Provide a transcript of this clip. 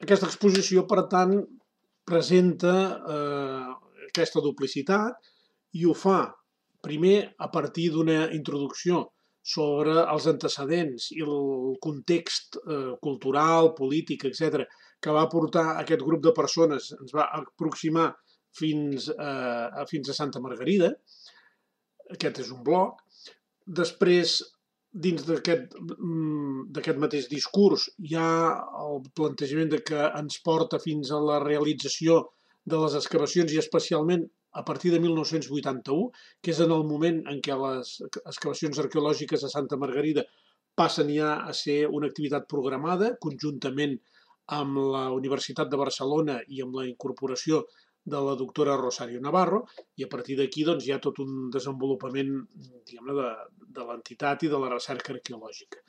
Aquesta exposició, per tant, presenta aquesta duplicitat i ho fa primer a partir d'una introducció sobre els antecedents i el context cultural, polític, etc., que va portar aquest grup de persones, ens va aproximar fins a Santa Margarida. Aquest és un bloc. Després, dins d'aquest mateix discurs, hi ha el plantejament de que ens porta fins a la realització de les excavacions i especialment a partir de 1981, que és en el moment en què les excavacions arqueològiques a Santa Margarida passen ja a ser una activitat programada, conjuntament amb la Universitat de Barcelona i amb la incorporació de la doctora Rosario Navarro, i a partir d'aquí doncs, hi ha tot un desenvolupament, diguem-ne, de l'entitat i de la recerca arqueològica.